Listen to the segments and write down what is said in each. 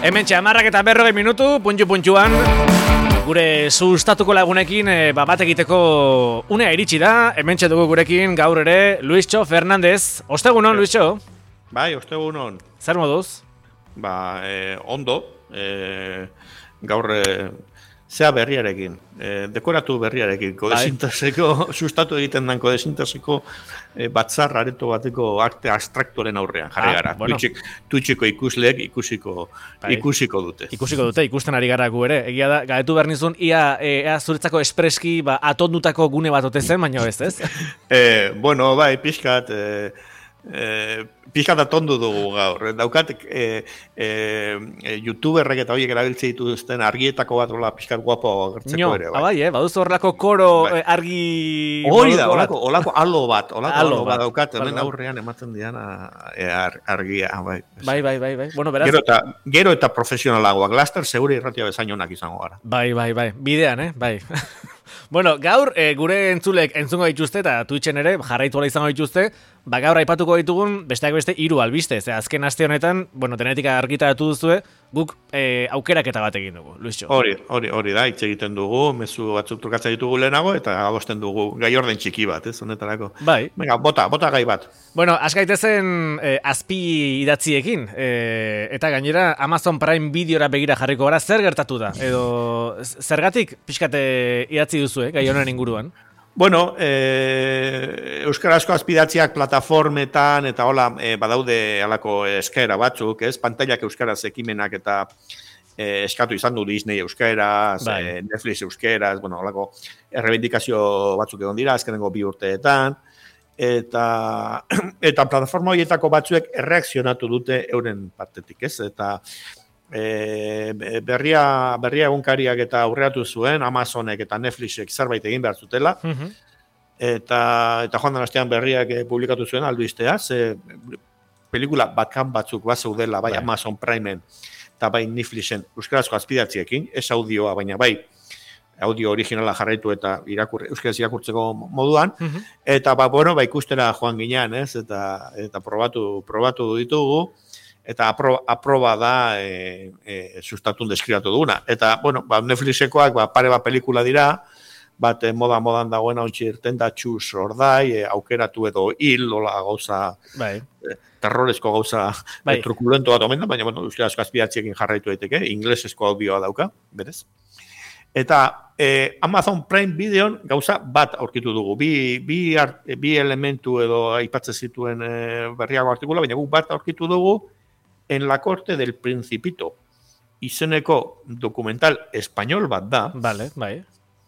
Hementxe 10:40 minutu, puntxuan, gure sustatuko lagunekin bat egiteko unea iritsi da. Hementxe dugu gurekin gaur ere Luisxo Fernandez. Ostegunon, Luisxo? Bai, ostegunon. Zer moduz? Ondo. Gaur zea berriarekin, dekoratu berriarekin, kodesinteseko, sustatu egiten den kodesinteseko batzar areto bateko arte abstraktoren aurrean, jarri gara. Bueno. Twitcheko ikusleek ikusiko dute. Ikusiko dute, ikusten ari gara gu ere. Egia da, galetu behar nizun, ea zuretzako espreski atondutako gune bat ote zen, baina ez? Bueno, bai, pixkat atondu dugu gaur. Daukat youtuberrek eta horiek erabiltze dituzten argietako bat pixkat guapo agertzeko ere. Bai, baduzu horrelako koro argi... Hori da, holako alo bat daukat, hemen aurrean ematen dian argia. Bai. Bueno, beraz... Gero eta profesionalagoak, laster segure irratia bezain onak izango gara. Bai, bidean, bai. Bueno, gaur gure entzulek entzungo dituzte eta Twitchen ere jarraitu ala izango dituzte, gaur aipatuko ditugun besteak beste 3 albiste. Azken aste honetan, denetika argitaratu duzue, guk aukeraketa bat egin dugu, Luisxo. Hori da, hitz egiten dugu, mezu batzuk trukatzen ditugu lehenago eta agosten dugu gai orden txiki bat, honetarako. Bai. Venga, bota gai bat. Bueno, askaitezen azpi idatziekin, eta gainera Amazon Prime Videora begira jarriko gara, zer gertatu da? Edo zergatik pixkate idatzi duzu, gai honen inguruan? Bueno, euskarazko azpidatziak plataformetan eta hola badaude halako eskaera batzuk, pantailak euskaraz ekimenak eta eskatu izan du Disney euskaraz, Netflix euskaraz, holako errebindikazio batzuk egon dira azkenengo 2 urteetan, eta plataforma horietako batzuek erreakzionatu dute euren partetik, eta berria egunkariak eta aurreatu zuen Amazonek eta Netflixek zerbait egin behar zutela, eta joan den astean berriak publikatu zuen albistea, pelikula bakan batzuk zeudela bai Amazon Primeen eta bai Netflixen euskarazko azpidatziekin, ez audioa, baina bai audio originala jarraitu eta euskaraz irakurtzeko moduan, eta ikustera joan ginean, eta probatu ditugu, eta aproba da sustatun deskribatu duguna. Eta, Netflixekoak pare bat pelikula dira, bat modan dagoena ontsi irten da txuz ordai, aukeratu edo hil, gauza, terrorezko gauza trukulento bat omen da, baina, euskarazko azpidatziekin jarraitu daiteke, inglesezko audioa dauka, berez. Eta Amazon Prime Videon gauza bat aurkitu dugu, bi elementu edo aipatzen zituen berriago artikula, baina guk bat aurkitu dugu, En la corte del Principito, izeneko dokumental espainol bat da. Bai.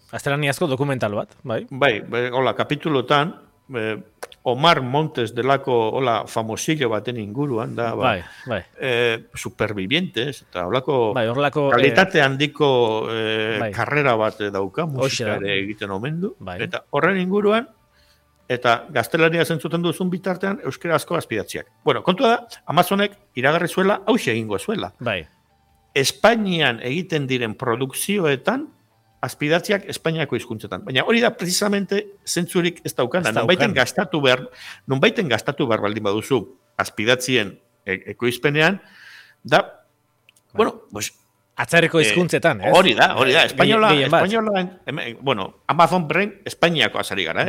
Azteraniazko dokumental bat, bai. Hola, kapitulotan, Omar Montes delako, famosillo baten inguruan da, supervivientes, eta holako kalitate handiko karrera bat dauka, musikare egiten omen du, eta horren inguruan, eta gaztelania zentzuten duzun bitartean euskarazko azpidatziak. Kontua da, Amazonek iragarri zuela, hauxe egingo zuela. Espainian egiten diren produkzioetan, azpidatziak Espainiako hizkuntzetan. Baina hori da, precisamente, zentzurik ez daukana. Nonbaiten gastatu behar baldin baduzu azpidatzien ekoizpenean, da, atzerriko hizkuntzetan, ez? Hori da, espainola, Amazon Prime Espainiako azari gara,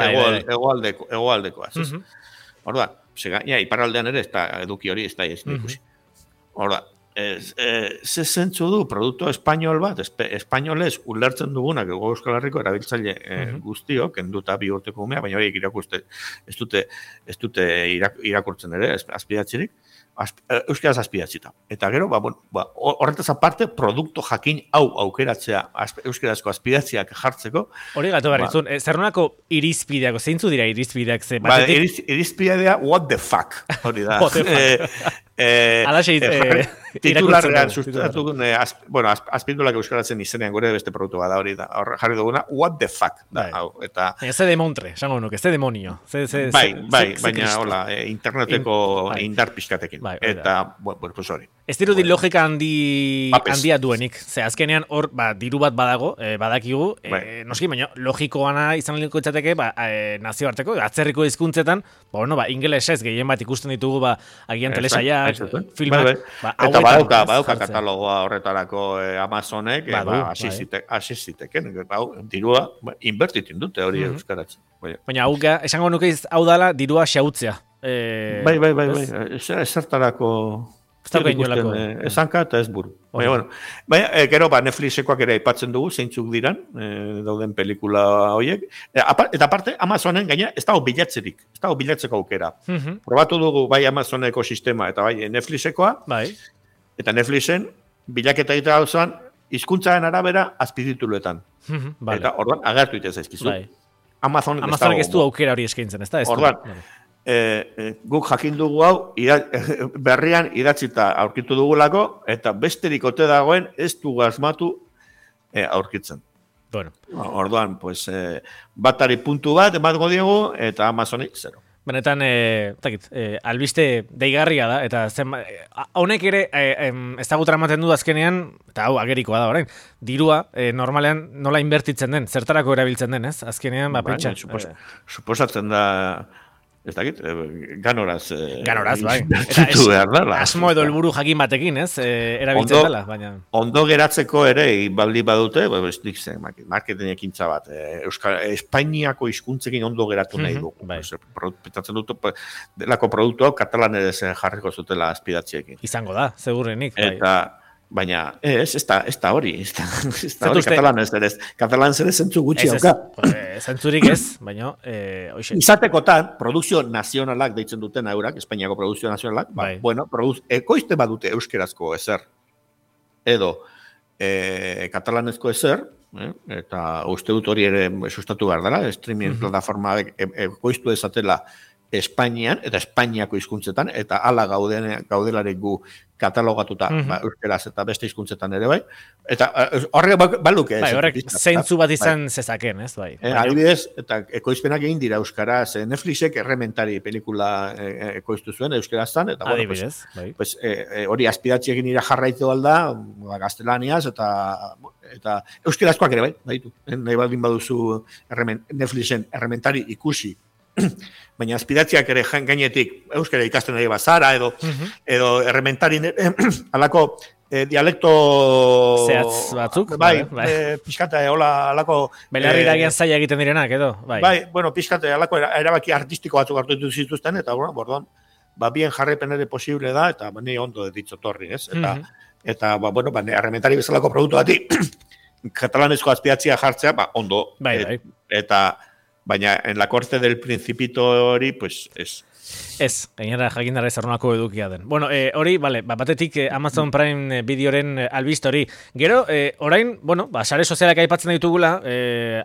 egoaldekoaz. Hor da, iparraldean ere, eduki hori, ez da ikusi. Hor da, ze zentzu du produktu espainol bat, espainolez ulertzen dugunak Euskal Herriko erabiltzaile guztiok, kenduta 2 urteko umea, baina horiek ez dute irakurtzen ere, azpidatzirik, euskaraz azpidatzita. Eta gero, horretaz aparte, produktu jakin hau aukeratzea euskarazko azpidatziak jartzeko. Hori gatu barrizun, zer nolako irizpideak, zeintzu dira irizpideak? Irizpidea, what the fuck, hori da. Alaxe titularrean sustatu, azpindulak euskaratzen izenean gure beste produktu bada hori da. Jarri duguna, what the fuck. Ze demontre, esango nuke, ze demonio. Baina, interneteko indar pixkatekin. Eta, pues hori. Ez dirudi logika handia duenik. Ze azkenean hor, diru bat badago, badakigu, noski, baina logikoana izan liko itzateke, nazioarteko, atzerriko hizkuntzetan, ingelesez gehien bat ikusten ditugu, agian telesaia, filmak, badauka katalogoa horretarako Amazonek, hasi ziteken, dirua inbertitin dute hori euskaratzen. Baina esango nuke hau dala dirua xautzea. Bai, ezertarako esanka eta ez buru. Baina, gero, Netflixekoak ere aipatzen dugu, zeintzuk diran, dauden pelikula horiek. Eta aparte, Amazonen gaina ez dago bilatzerik, ez dago bilatzeko aukera. Probatu dugu bai Amazoneko sistema eta bai Netflixekoa, eta Netflixen bilaketa egitea dauzuan, hizkuntzaren arabera azpitituluetan. Eta orduan, agertu ite zaizkizu. Amazonek ez du aukera hori eskaintzen, ez da? Orduan, guk jakin dugu hau berrian idatzita aurkitu dugulako eta besterik ote dagoen ez dugu asmatu aurkitzen. Orduan, batari puntu bat ematgo diegu eta Amazonik zero. Benetan, albiste deigarria da, eta honek ere ezagutra ematen du azkenean, eta hau agerikoa da orain, dirua normalean nola inbertitzen den, zertarako erabiltzen den, ez? Azkenean, pentsa. Suposatzen da, ez dakit, ganoraz. Ganoraz, bai. Eta asmo edo helburu jakin batekin, ez? Erabiltzen dela, baina. Ondo geratzeko ere, baldi badute, marketing ekintza bat. Espainiako hizkuntzekin ondo geratu nahi dugu. Petatzen dut, delako produktu hau katalanez jarriko zutela azpidatziekin. Izango da, segurenik. Baina, ez da hori. Ez da hori, katalanez ere zentzu gutxi hauka. Zentzurik ez, baina... Izatekotan, produkzio nazionalak deitzen duten eurak, Espainiako produkzio nazionalak, ekoizte badute euskerazko ezer, edo katalanezko ezer, eta uste dut hori ere sustatu behar dela, streaming plataforma ekoiztu ezatela Espainian, eta Espainiako hizkuntzetan, eta hala gaudelare gu katalogatuta euskeraz eta beste hizkuntzetan ere bai. Eta horrek baluke. Horrek zeintzu bat izan zezaken, ez bai. Adibidez, eta ekoizpenak egin dira euskaraz, Netflixek errementari pelikula ekoiztu zuen euskeraztan, eta adibidez, hori azpidatzi egin ira jarraitu alda, gaztelaniaz, eta euskerazkoak ere bai, nahi baldin baduzu Netflixen errementari ikusi, baina azpidatziak ere gainetik euskara ikasten ari bazara edo errementari alako dialekto zehatz batzuk pixkate alako belarri dagian zaila egiten direnak edo pixkate alako erabaki artistiko batzuk hartu ditu zituzten eta borduan bien jarrepen ere posible da eta ni ondo ditzo torri ez eta errementari bezalako produktu bati katalanezko azpidatzia jartzea ondo eta baina en la corte del principito hori, pues, es. Ez, gainera jakindara ezarronako edukia den. Bueno, hori, batetik Amazon Prime Videoren albiste hori. Gero, orain, sare sozialak aipatzen ditugula,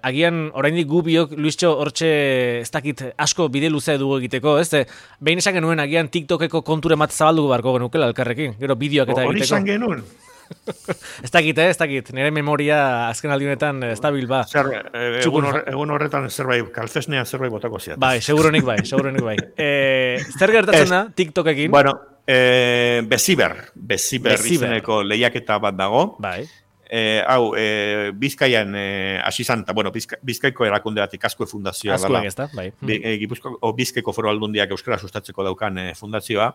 agian oraindik gu biok, Luistxo, hortxe ez dakit asko bide luze dugu egiteko, ez? Behin esan genuen agian TikTokeko konture mat zabalduko barko genukela elkarrekin, gero bideoak eta egiteko. Hori esan genuen. Ez dakit, nire memoria azken aldiunetan estabil ba. Egun horretan zerbait, kalfesnean zerbait botako ziat. Seguronik bai. Zer gertatzen da TikTokekin? Bueno, Beziber izeneko lehiaketa bat dago. Bai. Bizkaian asizan, Bizkaiko erakunde batik Azkue Fundazioa dela. Azkuek ez da, bai. Bizkaiko Foru Aldundiak euskara sustatzeko daukan fundazioa.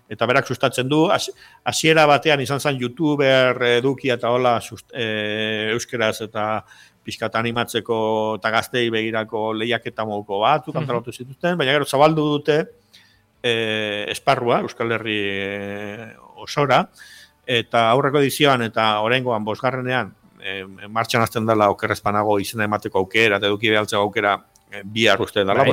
Eta berak sustatzen du, hasiera batean izan zen youtuber edukia eta hola euskeraz eta pixkat animatzeko eta gaztei begirako lehiaketa moduko batzuk antolatu zituzten, baina gero zabaldu dute esparrua, Euskal Herri osora, eta aurreko edizioan eta oraingoan 5. Martxan hasten dela okerrezpanago izena emateko aukera, eta eduki behaltzeko aukera bihar uste dela,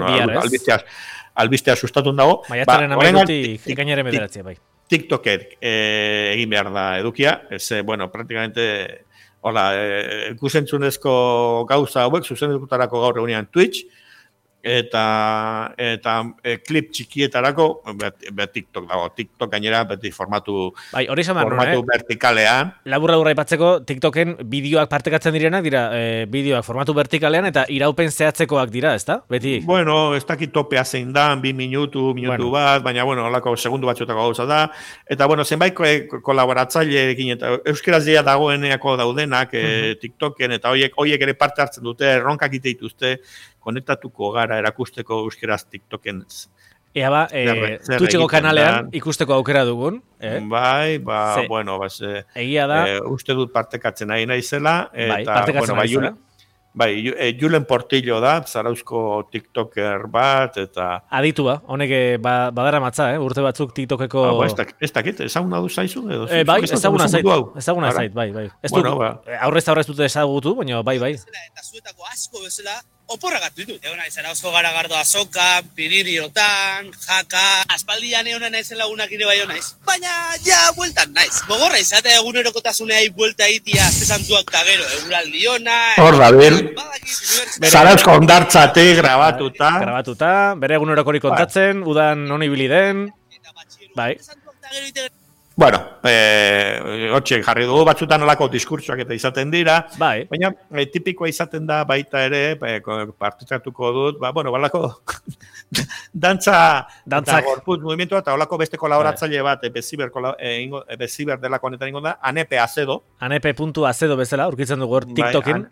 albistea sustatun dago. Maiatzaren amairutik ikainaren bederatzi, bai. TikToket egin behar da edukia, praktikamente, ikusentzunezko gauza hauek, zuzendutarako gaur egunean Twitch, eta klip txikietarako TikTok dago. TikTok gainera beti formatu vertikalean. Labur aipatzeko TikToken bideoak partekatzen direnak dira, bideoak formatu vertikalean eta iraupen zehatzekoak dira, ezta? Beti. Ez dakit topea zein da, 2 minutu bat, baina holako segundu batzuetako gauza da. Eta zenbait kolaboratzaileekin eta euskeraz dira dagoeneako daudenak TikToken eta horiek ere parte hartzen dute, erronkak ite dituzte, konektatuko gara erakusteko euskeraz TikToken Ea ba, Twitcheko kanalean ikusteko aukera dugun. Bai, bueno, egia da. Uste dut partekatzen nahi naizela. Bai, partekatzen nahi zela. Bai, Julen Portillo da, zarauzko TikToker bat, eta... Aditua, honek badara matza, urte batzuk TikTokeko... Ez dakit, ezaguna du zaizu? Bai, ezaguna zait, bai. Ez du, aurrez dute ezagutu, baina bai. Eta zuetako asko bezala, oporragatu ditut. Egon nahi zarauzko garagardo azoka, piririotan, jaka... Aspaldian egon nahi lagunak ire bai naiz. Baina, ja, bueltan naiz. Gogorra izatea egunerokotasunea buelta itia, zesantuak tagero, eguraldi ona... Hor da, Zarauzko ondartzate grabatuta. Bere egunerokorik kontatzen, udan non ibili den. Bai. Bueno, hotxek jarri dugu batzutan olako diskurtsoak eta izaten dira. Bai. Baina tipikoa izaten da baita ere, partitatuko dut, balako dantza gorputz movimentua eta olako beste kolaboratzaile bat, Beziber delako honetan ingo da, Anepe Acedo. Anepe.acedo bezala, urkitzen dugu hor TikTokin.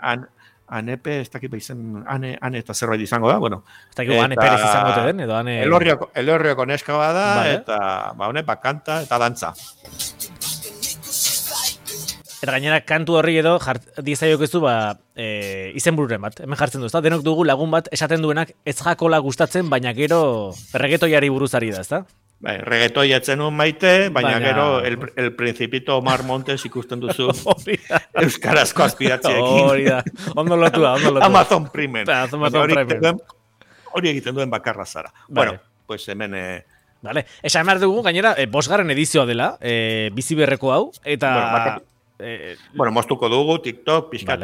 Anepe, ez dakit behizen, ane eta zerbait izango da, bueno. Ez dakit Ane Perez izango den, edo Ane... Elorrioko neska bada, eta honek kanta eta dantza. Eta gainera kantu horri edo dizaiok ez du izenbururen bat, hemen jartzen du, ezta? Denok dugu lagun bat esaten duenak ez jakola gustatzen, baina gero reggaetoiari buruzari da, ezta? Bai, reggaetoi etzen un maite, baina gero el Principito Omar Montes ikusten duzu euskarazko aspiratziekin. Hori da, ondo lotua. Amazon Prime. Hori egiten duen bakarra zara. Bueno, pues hemen... Vale, esan behar dugu, gainera, 5. edizioa dela, bizi berreko hau, eta... Bueno, moztuko dugu, TikTok, pixkat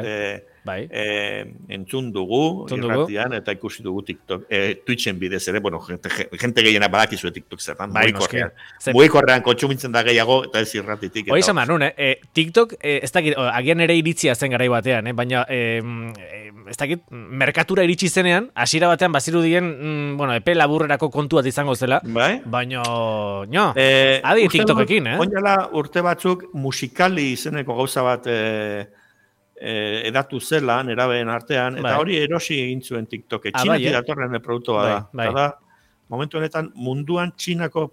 entzun dugu, irratian, eta ikusi dugu TikTok, Twitchen bidez ere, bueno, gente gehiena badakizue TikTok zertan, mugikorrean kontsumitzen da gehiago, eta ez irratitik. Hoi esan behar, TikTok, ez dakit, agian ere iritzia zen garai batean, baina, ez dakit, merkatura iritsi zenean, hasiera batean bazirudien, bueno, epe laburrerako kontu bat izango zela, baina, adi TikTokekin, Oinala urte batzuk musikali izeneko gauza bat edatu zela, nerabeen artean, eta hori erosi egin zuen TikTok. Txinatik datorren produktua da. Eta momentu honetan, munduan Txinako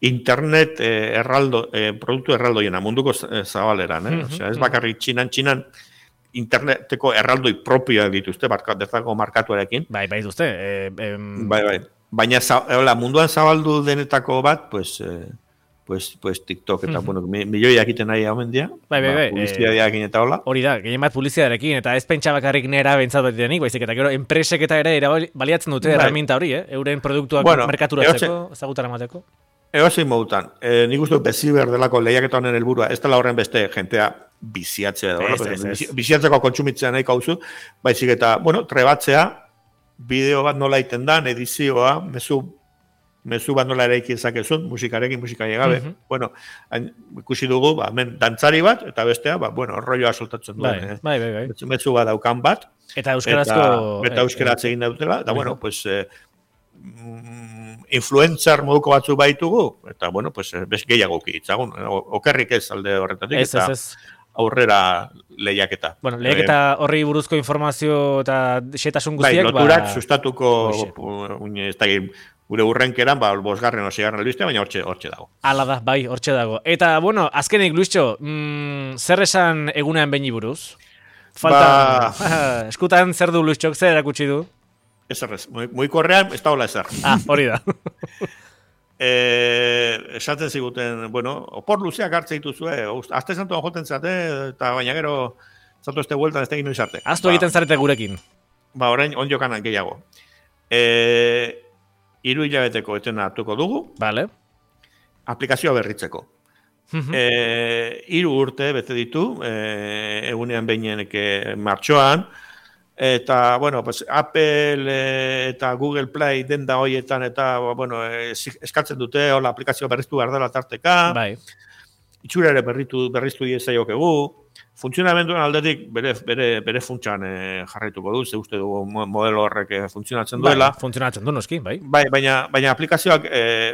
internet produktu erraldoiena, munduko zabaleran. Osea, ez bakarrik Txinan interneteko erraldoi propioa dituzte, bertako markatuarekin. Bai, dituzte. Bai. Baina munduan zabaldu denetako bat, pues TikTok, eta, bueno, milioiak iten nahi hau mendia. Bai. Publizitatearekin eta hola. Hori da, gehien bat publizitatearekin, eta ez pentsa bakarrik nera bentsat bat denik, baizik, eta gero, enpresek eta ere baliatzen dute herramienta hori, euren produktuak merkaturatzeko, ezagutara mateko. Egozein modutan, nik uste Beziber delako lehiaketa honen helburua, ez dela horren beste jentea biziatzea, biziatzeko kontsumitzea nahi kauzu, baizik eta, bueno, trebatzea, bideo bat nola iten dan, edizioa, mezu bat nola eraiki ezakezun, musikarekin, musikaria gabe. Bueno, ikusi dugu, hemen dantzari bat, eta bestea, bueno, rolloa soltatzen duen. Bai. Mezu bat daukan bat. Eta euskarazko... Eta euskaraz egin dautela, eta, bueno, pues... influencer moduko batzu baitugu, eta, bueno, pues, bez gehiago kitzagun. Okerrik ez alde horretatik, eta aurrera lehiaketa. Bueno, lehiaketa horri buruzko informazio eta xetasun guztiak... Bai, loturak sustatuko, ez da gure urrenkeran, 5. o 6. albiste, baina hortxe dago. Hala da, bai, hortxe dago. Eta, bueno, azkenik, Luisxo, zer esan egunean behin buruz? Falta, eskutan zer du Luisxok, zer erakutsi du? Ez, mugikorrean, ez da hola ezer. Hori da. Esaten ziguten, bueno, opor luzeak hartze dituzue, azte zantuan joten zate, eta baina gero, zatu este vueltan ez tegin noiz arte. Aztu egiten zarete gurekin. Orain, onjokan gehiago. 3 hilabeteko etena hartuko dugu. Vale. Aplikazioa berritzeko. 3 urte bete ditu, egunean behineneke martxoan, eta, bueno, pues, Apple eta Google Play denda hoietan, eta, bueno, eskatzen dute, hola, aplikazioa berriztu behar dela tarteka. Bai. Itxura ere berriztu diezaiokegu. Funtzionamenduan aldetik bere funtsan jarraituko du, ze uste dugu modelo horrek funtzionatzen duela. Funtzionatzen du, noski, bai. Baina aplikazioak,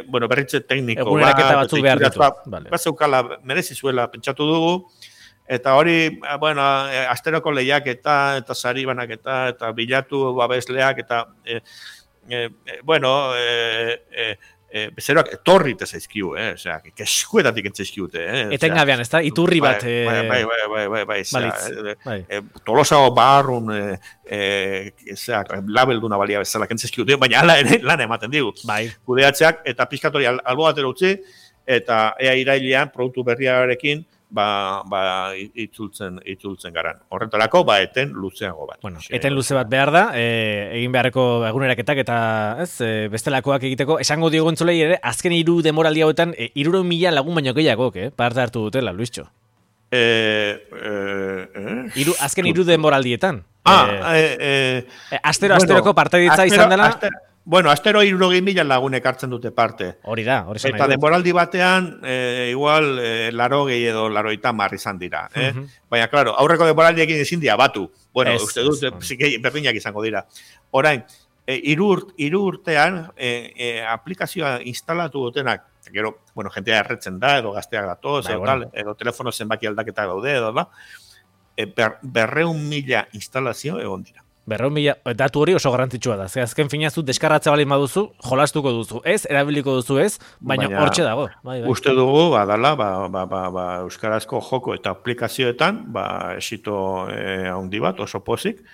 bueno, berritze tekniko eguneraketa batzuk behar ditu. Bat zeukala merezi zuela pentsatu dugu, eta hori, bueno, asteroko lehiaketa, eta sari banaketa, eta bilatu babesleak, eta bueno, bezeroak etorrite zaizkiu, osea, keskuetatik entzaizkiute, Etengabean, ez da? Iturri bat. Bai. Tolosago barrun, labelduna balia bezala kentzizkiute, baina hala ere lan ematen digu. Bai. Kudeatzeak eta pizkatori albo batera utzi, eta ea irailean produktu berriarekin itzultzen garan. Horretarako, eten luzeago bat. Bueno, eten luze bat behar da, egin beharreko eguneraketak eta bestelakoak egiteko. Esango diogu entzulei ere, azken 3 denboraldi hauetan, 300.000 lagun baino gehiagok, parte hartu dutela, Luischo. Azken 3 denboraldietan. Asteroko partaidetza izan dela. Bueno, astero 60.000 lagunek hartzen dute parte. Hori da, hori zen. Eta denboraldi batean, igual, 80 edo 80 izan dira. Baina, klaro, aurreko denboraldiekin ezin dira batu. Bueno, uste dut, berdinak izango dira. Orain, 3 urtean, aplikazioa instalatu dutenak, gero, bueno, jentea erretzen da, edo gazteak datoz, edo telefono zenbaki aldaketak daude, edo da, 200.000 instalazio egon dira. 200.000, datu hori oso garrantzitsua da. Ze azken finazu deskarratza balin baduzu, jolastuko duzu, ez, erabiliko duzu ez, baina hortxe dago. Bai. Uste dugu, badala, euskarazko joko eta aplikazioetan, esito handi bat, oso pozik,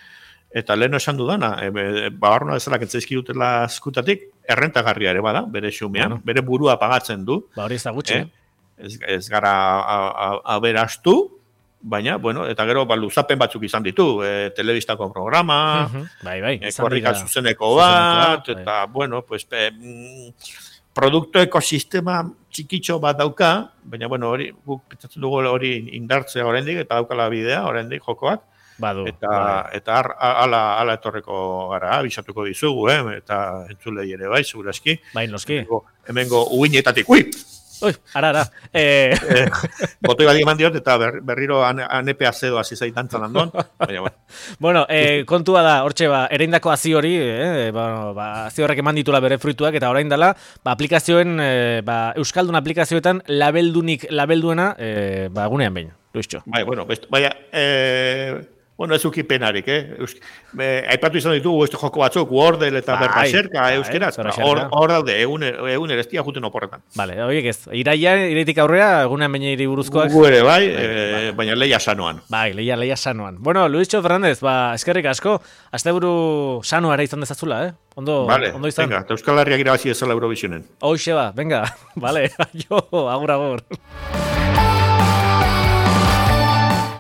eta lehen esan dudana, bagarruna bezala kentzaizki dutela eskutatik, errentagarria ere bada, bere xumean, bere burua pagatzen du. Hori ez da gutxi. Ez gara aberastu, baina, bueno, eta gero luzapen batzuk izan ditu, telebistako programa, korrika zuzeneko bat, eta, bueno, pues, produktu ekosistema txikitxo bat dauka, baina, bueno, hori, guk pentsatzen dugu hori indartzea oraindik eta daukala bidea, oraindik jokoak, eta ala etorreko gara, abisatuko dizugu, eta entzulei ere bai, segurazki. Bai, noski. Hemengo uinetatik, ui! Ara. Botoi bat eman diot, eta berriro anepe azedo hasi zaitantzan handon. Bueno, kontua da, hortxe, ereindako hazi hori, hazi horrek eman ditula bere fruituak, eta orain dela, aplikazioen, Euskaldun aplikazioetan labelduena, gunean behin, Luischo. Bueno, ez ukipenarik, aipatu izan ditugu beste joko batzuk, Wordle eta Berbaserka euskeraz, hor daude, egun erestia juten oporretan. Vale, horiek ez, iraitik aurrera, egunean baina iri buruzkoak. Gu ere baina leia sanoan. Leia sanoan. Bueno, Luischo Fernández, eskerrik asko, asteburu sanoara izan dezazula, Ondo izan. Venga, Euskal Herriak irabazi ezala Eurovisionen. Hoxe venga, vale, agur.